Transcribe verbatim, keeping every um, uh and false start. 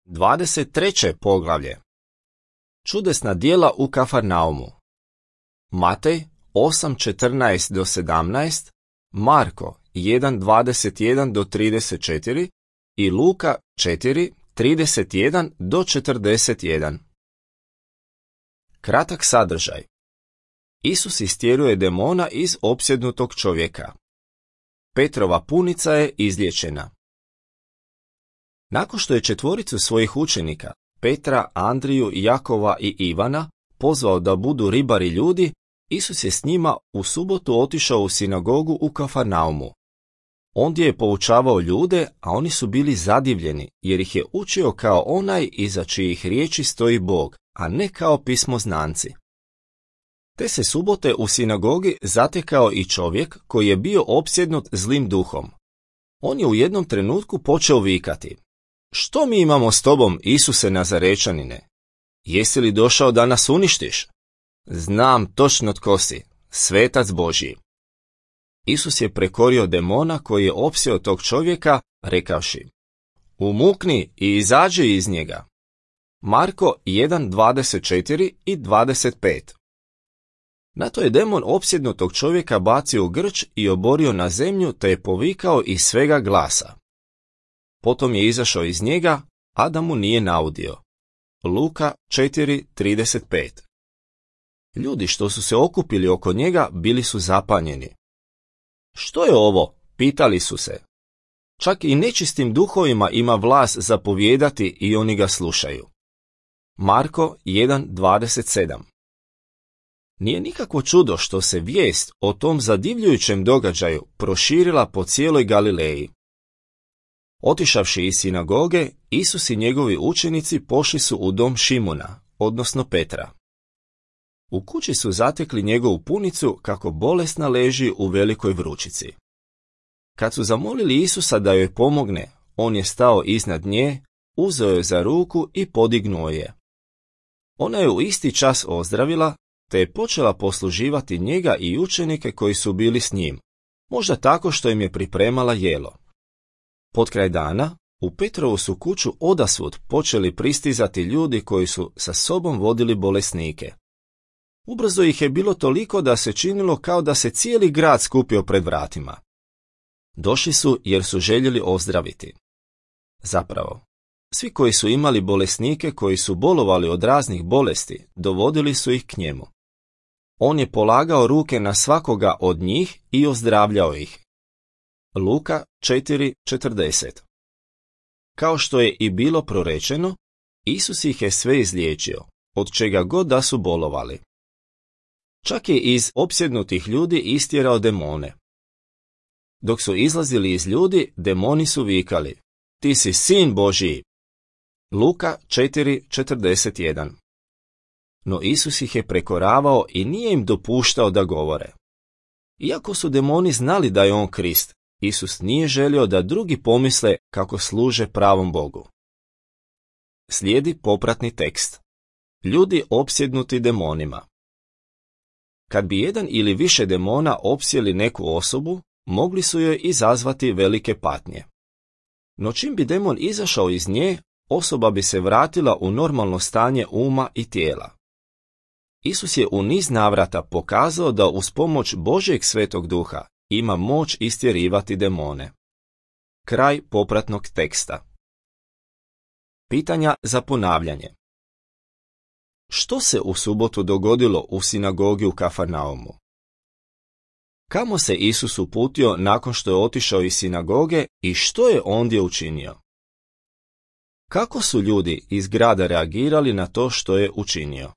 dvadeset treće poglavlje. Čudesna djela u Kafarnaumu. Matej osam četrnaest do sedamnaest, Marko jedan dvadeset jedan do trideset četiri i Luka četiri trideset jedan do četrdeset jedan. Kratak sadržaj. Isus istjeruje demona iz opsjednutog čovjeka. Petrova punica je izliječena. Nakon što je četvoricu svojih učenika, Petra, Andriju, Jakova i Ivana, pozvao da budu ribari ljudi, Isus je s njima u subotu otišao u sinagogu u Kafarnaumu. Ondje je poučavao ljude, a oni su bili zadivljeni, jer ih je učio kao onaj iza čijih riječi stoji Bog, a ne kao pismoznanci. Te se subote u sinagogi zatekao i čovjek koji je bio opsjednut zlim duhom. On je u jednom trenutku počeo vikati: "Što mi imamo s tobom, Isuse Nazarečanine? Jesi li došao da nas uništiš? Znam točno tko si, svetac Božji." Isus je prekorio demona koji je opsjeo tog čovjeka, rekavši: "Umukni i izađi iz njega." Marko jedan dvadeset četiri i dvadeset pet. Na to je demon opsjednutog čovjeka bacio u grč i oborio na zemlju, te je povikao iz svega glasa. Potom je izašao iz njega, a da mu nije naudio. Luka četiri trideset pet. Ljudi što su se okupili oko njega bili su zapanjeni. "Što je ovo?" pitali su se. Čak i nečistim duhovima ima vlast zapovijedati i oni ga slušaju. Marko jedan dvadeset sedam. Nije nikakvo čudo što se vijest o tom zadivljujućem događaju proširila po cijeloj Galileji. Otišavši iz sinagoge, Isus i njegovi učenici pošli su u dom Šimuna, odnosno Petra. U kući su zatekli njegovu punicu kako bolesna leži u velikoj vrućici. Kad su zamolili Isusa da joj pomogne, on je stao iznad nje, uzeo je za ruku i podignuo je. Ona je u isti čas ozdravila, te je počela posluživati njega i učenike koji su bili s njim, možda tako što im je pripremala jelo. Potkraj dana, u Petrovu su kuću odasvud počeli pristizati ljudi koji su sa sobom vodili bolesnike. Ubrzo ih je bilo toliko da se činilo kao da se cijeli grad skupio pred vratima. Došli su jer su željeli ozdraviti. Zapravo, svi koji su imali bolesnike koji su bolovali od raznih bolesti, dovodili su ih k njemu. On je polagao ruke na svakoga od njih i ozdravljao ih. Luka četiri četrdeset. Kao što je i bilo prorečeno, Isus ih je sve izliječio, od čega god da su bolovali. Čak je iz opsjednutih ljudi istjerao demone. Dok su izlazili iz ljudi, demoni su vikali: "Ti si sin Božji." Luka četiri četrdeset jedan. No Isus ih je prekoravao i nije im dopuštao da govore. Iako su demoni znali da je on Krist, Isus nije želio da drugi pomisle kako služe pravom Bogu. Slijedi popratni tekst. Ljudi opsjednuti demonima. Kad bi jedan ili više demona opsjeli neku osobu, mogli su joj izazvati velike patnje. No čim bi demon izašao iz nje, osoba bi se vratila u normalno stanje uma i tijela. Isus je u niz navrata pokazao da uz pomoć Božjeg Svetog Duha ima moć istjerivati demone. Kraj popratnog teksta. Pitanja za ponavljanje. Što se u subotu dogodilo u sinagogi u Kafarnaumu? Kamo se Isus uputio nakon što je otišao iz sinagoge i što je ondje učinio? Kako su ljudi iz grada reagirali na to što je učinio?